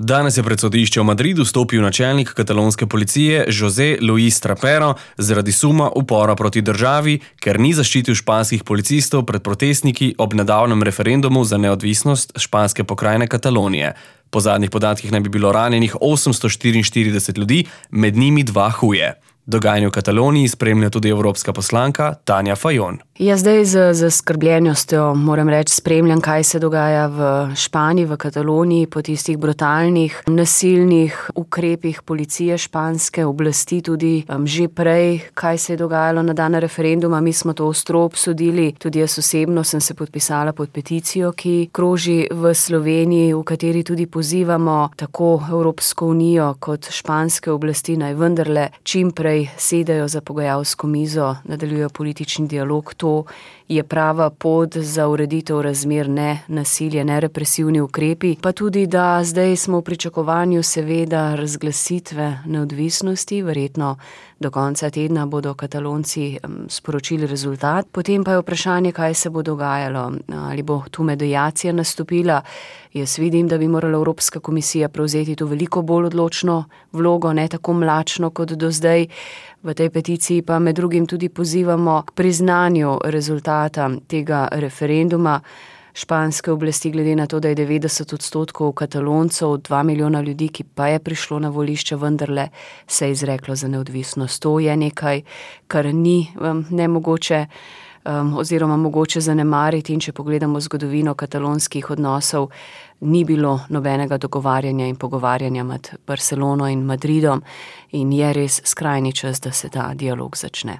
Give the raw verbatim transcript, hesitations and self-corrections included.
Danes je pred sodišče v Madridu stopil načelnik katalonske policije José Luis Trapero zaradi suma upora proti državi, ker ni zaščitil španskih policistov pred protestniki ob nedavnem referendumu za neodvisnost španske pokrajine Katalonije. Po zadnjih podatkih naj bi bilo ranjenih osemsto štiriinštirideset ljudi, med njimi dva huje. Dogajanje v Kataloniji spremlja tudi evropska poslanka Tanja Fajon. Ja, zdaj z zaskrbljenostjo moram reči, spremljam, kaj se dogaja v Španiji, v Kataloniji, po tistih brutalnih, nasilnih ukrepih policije španske oblasti, tudi um, že prej, kaj se je dogajalo na dan referenduma. Mi smo to ostro obsodili, tudi jaz osebno sem se podpisala pod peticijo, ki kroži v Sloveniji, v kateri tudi pozivamo tako Evropsko unijo kot španske oblasti, naj vendarle čim prej sedajo za pogajalsko mizo, nadaljujejo politični dialog. To je prava pot za ureditev razmer, ne nasilje, ne represivni ukrepi. Pa tudi, da zdaj smo v pričakovanju seveda razglasitve neodvisnosti, verjetno do konca tedna bodo Katalonci sporočili rezultat. Potem pa je vprašanje, kaj se bo dogajalo, ali bo tu mediacija nastopila. Jaz vidim, da bi morala Evropska komisija prevzeti tu veliko bolj odločno vlogo, ne tako mlačno kot do zdaj. V tej peticiji pa med drugim tudi pozivamo k priznanju rezultata tega referenduma. Španske oblasti, glede na to, da je devetdeset odstotkov Kataloncev, dva milijona ljudi, ki pa je prišlo na volišče, vendarle se je izreklo za neodvisnost. To je nekaj, kar ni um, nemogoče um, oziroma mogoče zanemariti, in če pogledamo zgodovino katalonskih odnosov, ni bilo nobenega dogovarjanja in pogovarjanja med Barcelono in Madridom in je res skrajni čas, da se ta dialog začne.